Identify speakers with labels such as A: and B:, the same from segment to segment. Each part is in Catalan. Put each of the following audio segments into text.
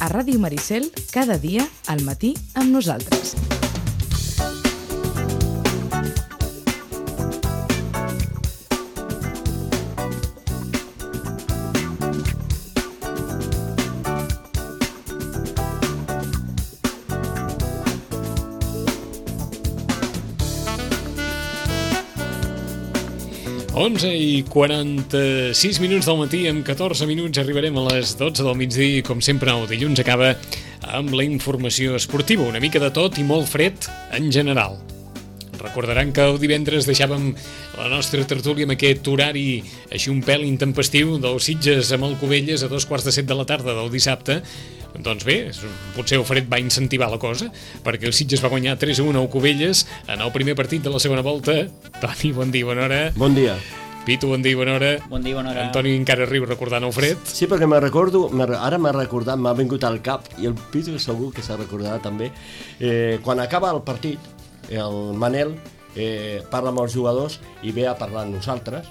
A: A Ràdio Maricel, cada dia, al matí, amb nosaltres.
B: Onze i 46 minuts del matí, en 14 minuts arribarem a les 12 del migdia i com sempre el dilluns acaba amb la informació esportiva, una mica de tot i molt fred en general. Recordaran que el divendres deixàvem la nostra tertúlia amb aquest horari així un pèl intempestiu del Sitges amb el Cubelles a 2:45 de la tarda del dissabte. Doncs bé, potser el fred va incentivar la cosa, perquè el Sitges va guanyar 3-1 al Cubelles en el primer partit de la segona volta. Toni, bon dia, bona hora.
C: Bon dia.
B: Pitu, bon dia, bona hora.
D: Bon dia, bona hora.
B: Antoni encara riu recordant el fred.
C: Sí, perquè me'n recordo, ara m'ha recordat, m'ha vingut al cap, i el Pitu segur que s'ha recordat també, quan acaba el partit, el Manel parla amb els jugadors i ve a parlar amb nosaltres,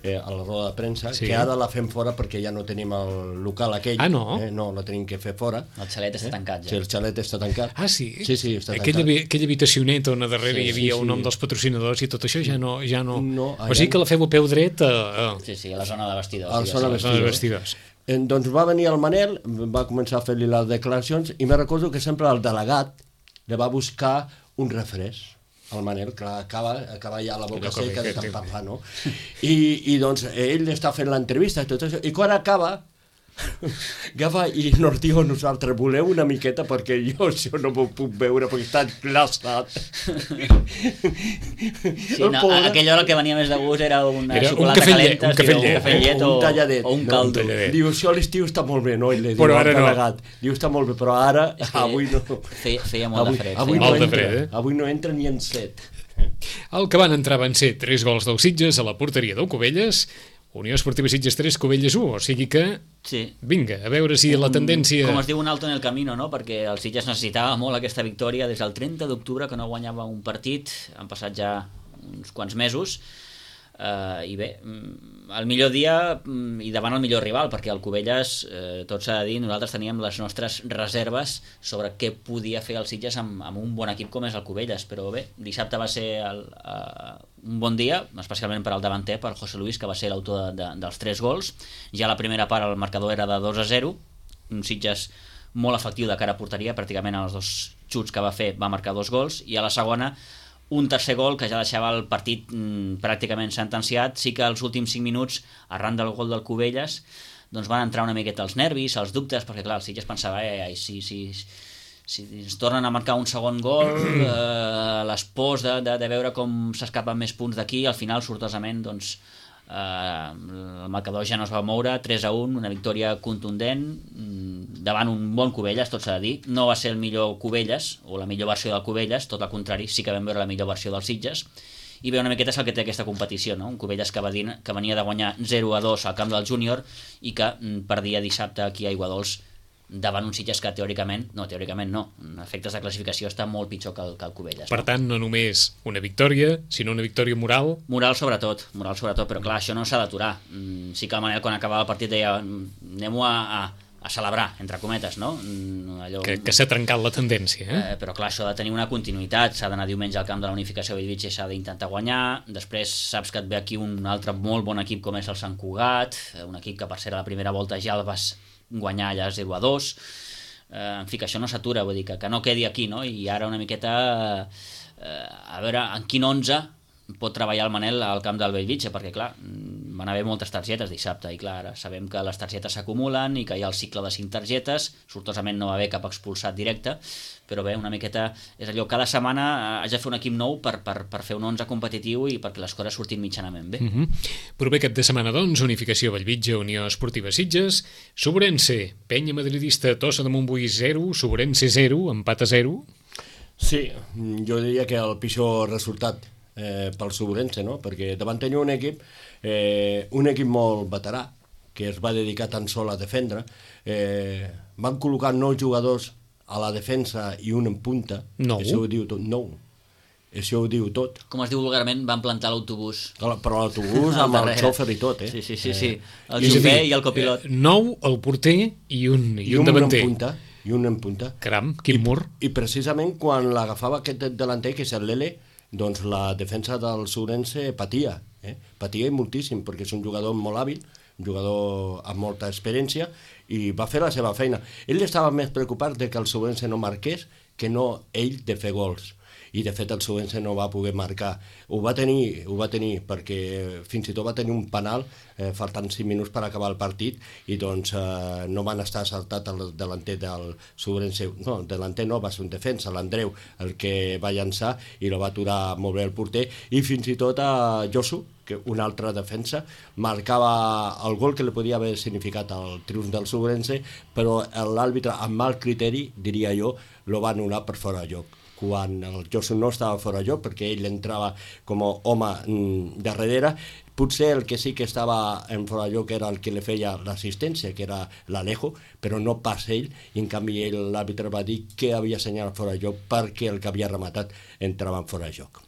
C: a la roda de premsa, sí. Que ara la fem fora perquè ja no tenim el local aquell.
B: Ah, no?
C: No, la tenim que fer fora.
D: El xalet està tancat ja.
C: Sí, el xalet està tancat.
B: Ah, sí?
C: Sí, està tancat.
B: Aquella habitacioneta on a darrere hi havia el nom dels patrocinadors i tot això ja no. O sigui que la feu a peu dret
D: Sí, a la zona de vestidors.
C: A la zona de vestidors. Doncs va venir el Manel, va començar a fer-li les declaracions i me recordo que sempre el delegat li va buscar un refresc. El Manel, clar, acaba ja la boca seca de tant parlar, no? I doncs ell està fent l'entrevista i tot això, i quan acaba agafa i nos diu a nosaltres, voleu una miqueta perquè jo això no m'ho puc veure perquè està glaçat.
D: Sí, no, a aquella hora el que venia més de gust era una xocolata calenta, un cafè llet o un caldo.
C: Diu, això a l'estiu està molt bé, no? I li diu,
B: però ara no.
C: Diu, està molt bé, però ara avui no.
D: Feia molt de fred.
C: Avui no entra ni en set.
B: El que van entrar van ser 3 gols del Sitges a la porteria del Cubelles, Unió Esportiva Sitges 3, Cubelles 1, o sigui que, vinga, a veure si la tendència...
D: Com es diu, un alto en el camino, no? Perquè el Sitges necessitava molt aquesta victòria des del 30 d'octubre, que no guanyava un partit, han passat ja uns quants mesos, i bé, el millor dia i davant el millor rival, perquè el Cubelles, tot s'ha de dir, nosaltres teníem les nostres reserves sobre què podia fer el Sitges amb un bon equip com és el Cubelles, però bé, dissabte va ser un bon dia, especialment per al davanter, per José Luis, que va ser l'autor dels 3 gols. Ja a la primera part el marcador era de 2-0, un Sitges molt efectiu de cara a porteria, pràcticament als 2 xuts que va fer va marcar 2 gols, i a la segona un tercer gol que ja deixava el partit pràcticament sentenciat. Sí que als últims 5 minuts, arran del gol del Cubelles, doncs van entrar una miqueta els nervis, els dubtes, perquè clar, el Sitges pensava si ens tornen a marcar un segon gol, les pors de veure com s'escapen més punts d'aquí, al final, sortosament, doncs, el marcador ja no es va moure, 3-1, una victòria contundent davant un bon Cubelles, tot s'ha de dir. No va ser el millor Cubelles o la millor versió del Cubelles, tot al contrari, sí que vam veure la millor versió dels Sitges, i bé, una miqueta és el que té aquesta competició, no? Un Cubelles que venia de guanyar 0-2 al camp del Júnior i que perdia dissabte aquí a Aiguadols davant un Sitges que teòricament no, en efectes de classificació està molt pitjor que el Cubelles.
B: Per tant, no només una victòria, sinó una victòria moral.
D: Moral sobretot, però clar, això no s'ha d'aturar. Sí que el Manel quan acabava el partit deia anem-ho a celebrar, entre cometes, no?
B: Allò... Que s'ha trencat la tendència,
D: però clar, això ha de tenir una continuïtat, s'ha d'anar diumenge al camp de la Unificació Bellvitge i s'ha d'intentar guanyar, després saps que et ve aquí un altre molt bon equip com és el Sant Cugat, un equip que per ser a la primera volta ja el vas guanyar allà 0-2, en fi, que això no s'atura, vull dir, que no quedi aquí, no? I ara una miqueta a veure en quin 11 pot treballar el Manel al camp del Bellvitge, perquè clar, van haver moltes targetes dissabte i clar, ara sabem que les targetes s'acumulen i que hi ha el cicle de 5 targetes, sortosament no va haver cap expulsat directe, però bé, una miqueta és allò, cada setmana haig de fer un equip nou per fer un 11 competitiu i perquè les coses surtin mitjanament bé.
B: Proper cap de setmana, doncs, Unificació Bellvitge, Unió Esportiva Sitges, Sobrense, Penya Madridista, Tossa de Montbui 0, Sobrense 0, empat a 0.
C: Sí, jo diria que el pitjor resultat pel Sobrense, no? Perquè davant tenia un equip molt veterà, que es va dedicar tan sol a defendre. Van col·locar 9 jugadors a la defensa i un en punta.
B: 9?
C: Això ho diu tot, 9. Això ho diu tot.
D: Com es diu vulgarment, van plantar l'autobús.
C: Però l'autobús amb el xòfer i tot,
D: Sí. El xofer i el copilot.
B: 9, el porter i un davanter.
C: I un en punta.
B: Caram, quin mur.
C: I precisament quan l'agafava aquest delanter, que és el Lele, doncs la defensa del Sourense patia. Patia i moltíssim, perquè és un jugador molt hàbil, un jugador amb molta experiència, i va fer la seva feina. Ell estava més preocupat de que el Sourense no marqués que no ell de fer gols. I de fet el Sourense no va poder marcar. Ho va tenir perquè fins i tot va tenir un penal faltant 5 minuts per acabar el partit i doncs no van estar saltat el delanter del Sourense. No, el delanter no, va ser un defensa, l'Andreu, el que va llançar i lo va aturar molt bé el porter, i fins i tot a Josu, que una altra defensa, marcava el gol que li podia haver significat el triomf del Sourense, però l'àrbitre, amb mal criteri, diria jo, lo va anul·lar per fora de joc. Quan el Josu no estava fora de joc, perquè ell entrava com a home darrere, potser el que sí que estava en fora de joc era el que li feia l'assistència, que era l'Alejo, però no pas ell, i en canvi l'àrbitre va dir que havia assenyalat fora de joc perquè el que havia rematat entrava en fora de joc.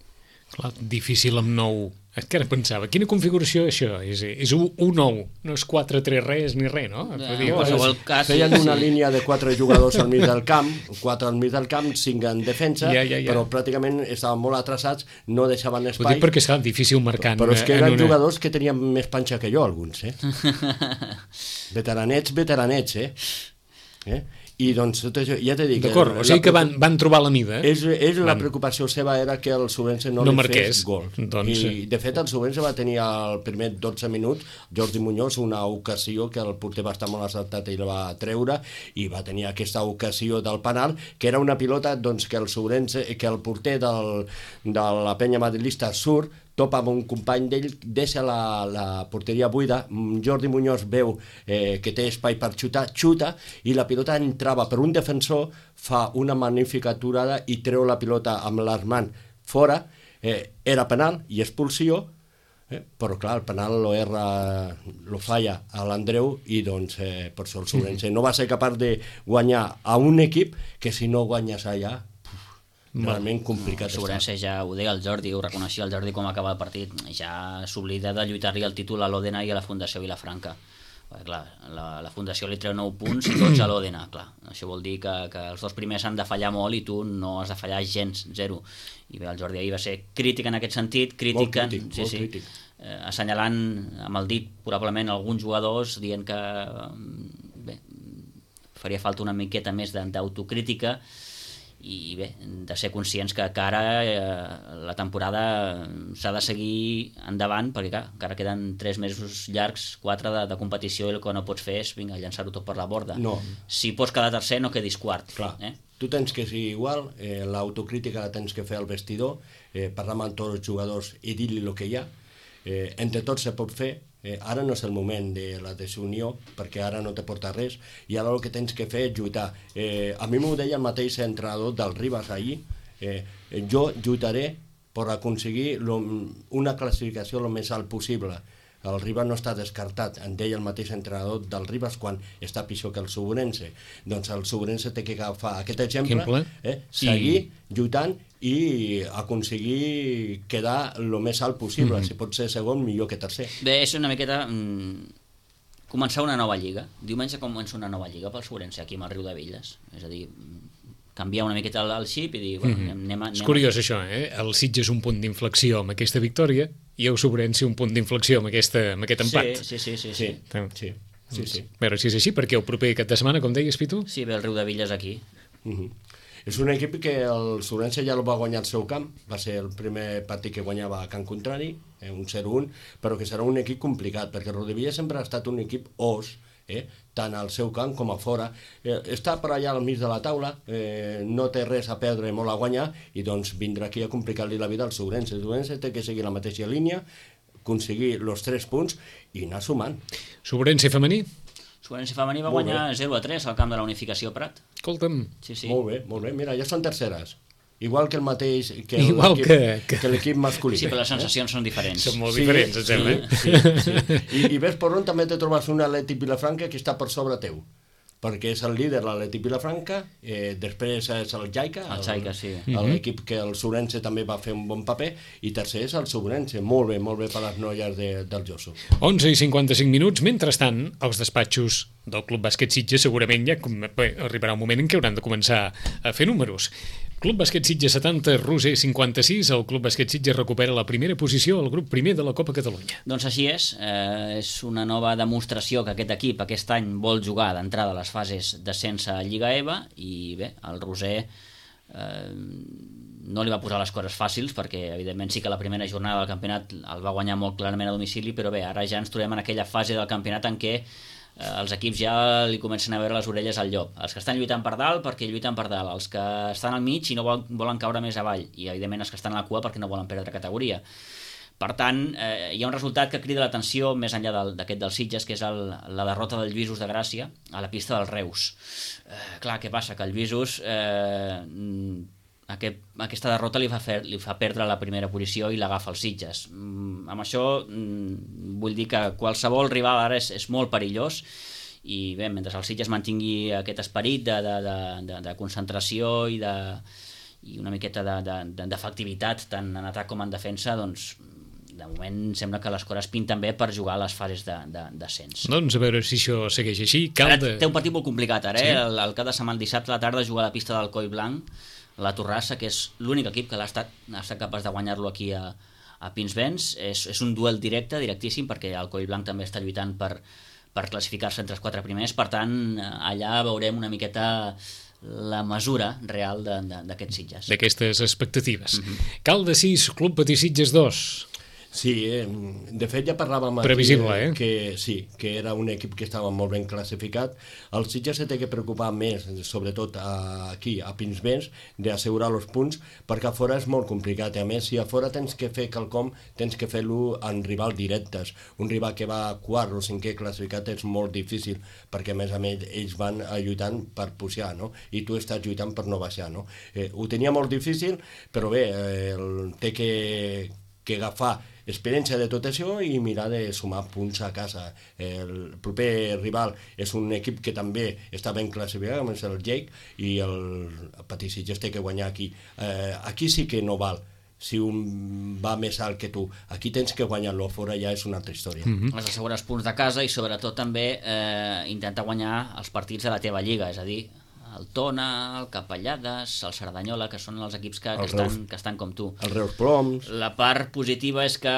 B: Clar, difícil amb 9. Que ara pensava, quina configuració això? És 1-9, no és 4-3 res ni res, no?
C: Feien una línia de 4 jugadors al mig del camp, 4 al mig del camp, 5 en defensa, però pràcticament estaven molt atrasats, no deixaven espai.
B: Ho dic perquè és difícil marcar.
C: Però és que eren jugadors que tenien més panxa que jo, alguns, Veteranets, I doncs tot això, ja t'he dit...
B: D'acord, o sigui que van trobar la mida.
C: La preocupació seva era que el Sourense no li fes gol. I de fet el Sourense va tenir el primer 12 minuts, Jordi Muñoz, una ocasió que el porter va estar molt acertat i la va treure, i va tenir aquesta ocasió del penal, que era una pilota doncs, que el porter de la penya madrilista surt, topa amb un company d'ell, deixa la porteria buida, Jordi Muñoz veu que té espai per xuta, i la pilota entrava per un defensor, fa una magnífica aturada i treu la pilota amb l'Armand fora, era penal i expulsió, però clar, el penal lo falla a l'Andreu i doncs per això el Sourense no va ser capaç de guanyar a un equip que si no guanyes allà realment complicat.
D: Sourense ja ho deia el Jordi, ho reconeixia el Jordi com acaba el partit, ja s'oblida de lluitar-li el títol a l'Òdena i a la Fundació Vilafranca. Clar, la Fundació li treu 9 punts i tots a l'Òdena, clar. Això vol dir que els dos primers han de fallar molt i tu no has de fallar gens, 0. I bé, el Jordi ahir va ser crític en aquest sentit,
C: molt crític.
D: Assenyalant amb el dit probablement alguns jugadors, dient que bé, faria falta una miqueta més d'autocrítica, i bé, de ser conscients que ara la temporada s'ha de seguir endavant, perquè clar, encara queden 3 mesos llargs, 4 de competició, i el que no pots fer és llançar-ho tot per la borda.
C: No.
D: Si pots quedar tercer, no quedis quart.
C: Clar. Tu tens que ser igual, l'autocrítica la tens que fer al vestidor, parlar amb tots els jugadors i dir-li el que hi ha, entre tots se pot fer. Ara no és el moment de la desunió, perquè ara no te porta res, i ara el que tens que fer és lluitar. A mi m'ho deia el mateix entrenador del Ribas ahir, jo lluitaré per aconseguir una classificació el més alt possible. El Ribas no està descartat, en deia el mateix entrenador del Ribas quan està pitjor que el Sourense. Doncs el Sourense té que agafar aquest exemple, seguir lluitant i aconseguir quedar el més alt possible. Si pot ser segon, millor que tercer.
D: Bé, és una miqueta començar una nova lliga. Diumenge comença una nova lliga pel Sourense aquí amb el Riudebitlles. És a dir, canviar una miqueta el xip i dir, anem a...
B: És curiós això, El Sitges és un punt d'inflexió amb aquesta victòria i el Sourense un punt d'inflexió amb aquest empat.
D: Sí.
B: A veure si és així, perquè el proper cap de setmana, com deies, Pitu?
D: Sí, ve el Riudebitlles aquí.
C: És un equip que el Sourense ja el va guanyar al seu camp, va ser el primer partit que guanyava a camp contrari, un 0-1, però que serà un equip complicat, perquè el Riudebitlles sempre ha estat un equip os, tant al seu camp com a fora, està per allà al mig de la taula, no té res a perdre i molt a guanyar, i doncs vindrà aquí a complicar-li la vida al Sourense. El Sourense té que seguir la mateixa línia, aconseguir els 3 punts i anar sumant.
B: Sourense femení?
D: Sourense femení va guanyar 0-3 al camp de la Unificació Prat.
B: Escolta'm.
D: Sí.
C: Molt bé, mira, ja són terceres. Igual que el mateix que l'equip masculí.
D: Sí, però les sensacions són diferents.
B: Són molt diferents, em sembla.
C: Sí. I ves per on també te trobes un Atlètic Vilafranca que està per sobre teu. perquè és el líder, l'Atlètic Vilafranca, després és el Jaica,
D: sí.
C: L'equip que el Sobrense també va fer un bon paper, i tercer és el Sobrense, molt bé per les noies del Josu.
B: 11:55, mentrestant, els despatxos del Club Bàsquet Sitges segurament ja arribarà un moment en què hauran de començar a fer números. Club Bàsquet Sitges 70, Roser 56, el Club Bàsquet Sitges recupera la primera posició al grup primer de la Copa Catalunya.
D: Doncs així és una nova demostració que aquest equip aquest any vol jugar d'entrada a les fases d'ascens a Lliga EVA, i bé, el Roser no li va posar les coses fàcils, perquè evidentment sí que la primera jornada del campionat el va guanyar molt clarament a domicili, però bé, ara ja ens trobem en aquella fase del campionat en què els equips ja li comencen a veure les orelles al llop. Els que estan lluitant per dalt perquè lluiten per dalt, els que estan al mig i no volen caure més avall, i evidentment els que estan a la cua perquè no volen perdre categoria. Per tant, hi ha un resultat que crida l'atenció més enllà d'aquest del Sitges, que és la derrota del Lluïsos de Gràcia a la pista del Reus. Clar, què passa? Que el Lluïsos aquesta derrota li fa perdre la primera posició i l'agafa el Sitges. Amb això vull dir que qualsevol rival ara és molt perillós, i bé, mentre el Sitges mantingui aquest esperit de concentració i una miqueta d'efectivitat tant en atac com en defensa, doncs de moment sembla que les coses pinten bé per jugar a les fases d'ascens.
B: Doncs a veure si això segueix així.
D: Té un partit molt complicat ara, el cap de setmana, el dissabte a la tarda, juga a la pista del Coll Blanc, la Torrassa, que és l'únic equip que ha estat capaç de guanyar-lo aquí a Pinsbens. És un duel directíssim, perquè el Coll Blanc també està lluitant per classificar-se entre els 4 primers, per tant allà veurem una miqueta la mesura real d'aquests Sitges.
B: D'aquestes expectatives. Caldes 6, Club Patí Sitges 2.
C: Sí, de fet ja parlàvem
B: previsible,
C: que era un equip que estava molt ben classificat. El Sitges se té que preocupar més, sobretot aquí, a Pinsbens, d'assegurar els punts, perquè a fora és molt complicat. A més, si a fora tens que fer quelcom, tens que fer-lo en rivals directes. Un rival que va quart o cinquè classificat és molt difícil, perquè a més ells van lluitant per pujar, no? I tu estàs lluitant per no baixar, no? Ho tenia molt difícil, però bé, té que agafar experiència de tot això i mirar de sumar punts a casa. El proper rival és un equip que també està ben classificat, com és el Jake, i el Patí Sitges té que guanyar aquí. Aquí sí que no val si un va més alt que tu. Aquí tens que guanyar-lo, fora ja és una altra història.
D: Has d'assegurar els punts de casa i sobretot també intentar guanyar els partits de la teva lliga, és a dir, el Tona, el Capellades, el Cerdanyola, que són els equips que estan com tu.
C: El Reus Ploms.
D: La part positiva és que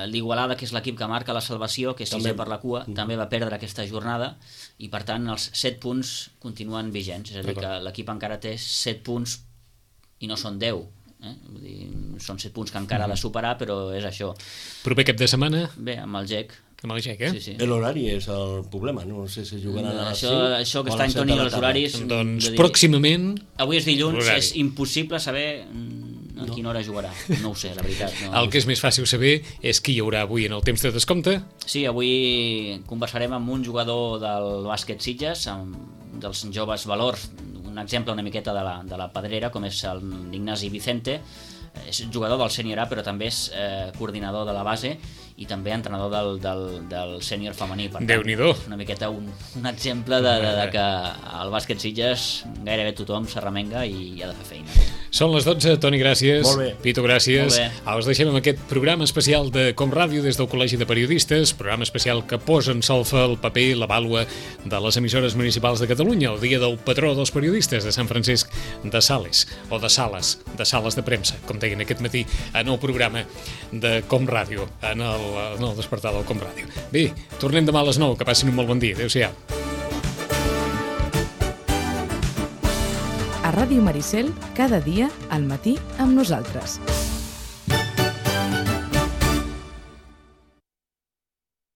D: l'Igualada, que és l'equip que marca la salvació, que és sisè per la cua, també va perdre aquesta jornada, i per tant els 7 punts continuen vigents, és a dir, que l'equip encara té 7 punts i no són 10. Vull dir, són 7 punts que encara ha de superar, però és això.
B: Proper cap de setmana?
D: Bé, amb el GEC.
B: Amb el GEC,
D: Sí.
C: L'horari és el problema, no sé si jugaran a les 5.
D: Això que està en Toni, els horaris...
B: Doncs pròximament...
D: Avui és dilluns, és impossible saber a quina hora jugarà. No ho sé, la veritat.
B: El que és més fàcil saber és qui hi haurà avui en el temps de descompte.
D: Sí, avui conversarem amb un jugador del bàsquet Sitges, dels joves valors, un exemple una miqueta de la Pedrera, com és l'Ignasi Vicente. És jugador del sènior A, però també és coordinador de la base i també entrenador del sènior femení.
B: Déu-n'hi-do.
D: Una miqueta un exemple de que al bàsquet Sitges gairebé tothom s'arremenga i ha de fer feina.
B: Són les 12, Toni, gràcies.
C: Molt bé.
B: Pitu, gràcies.
D: Molt bé.
B: Us deixem amb aquest programa especial de Com Ràdio des del Col·legi de Periodistes, programa especial que posa en solfa el paper i la vàlua de les emissores municipals de Catalunya, el dia del patró dels periodistes de Sant Francesc de Sales, o de Sales de premsa, com deien aquest matí en el programa de Com Ràdio, en el despertar del Com Ràdio. Bé, tornem demà a les 9, que passin un molt bon dia. Adéu-siau.
A: A Ràdio Maricel, cada dia al matí amb nosaltres.